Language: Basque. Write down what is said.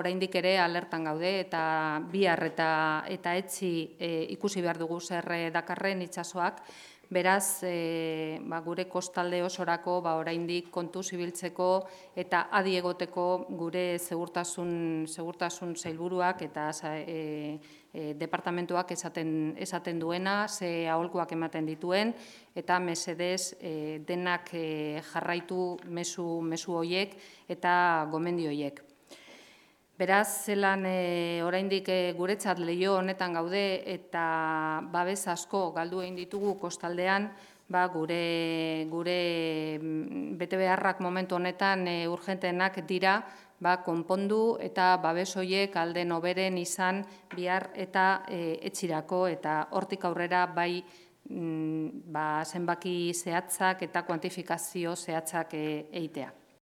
oraindik ere alertan gaude eta bihar eta etzi ikusi behar dugu zer dakarren itsasoak. Beraz, gure kostalde osorako oraindik kontuz ibiltzeko eta adi egoteko gure segurtasun sailburuak eta departamentuak esaten duena, ze aholkuak ematen dituen, eta mesedez denak jarraitu mezu horiek eta gomendio horiek. Beraz, zelan oraindik guretzat leiho honetan gaude eta babes asko galdu egin ditugu kostaldean, gure betebeharrak momentu honetan urgentenak dira konpondu eta babes horiek alde noberen izan bihar eta etxirako eta hortik aurrera bai zenbaki zehatzak eta kuantifikazio zehatzak egitea.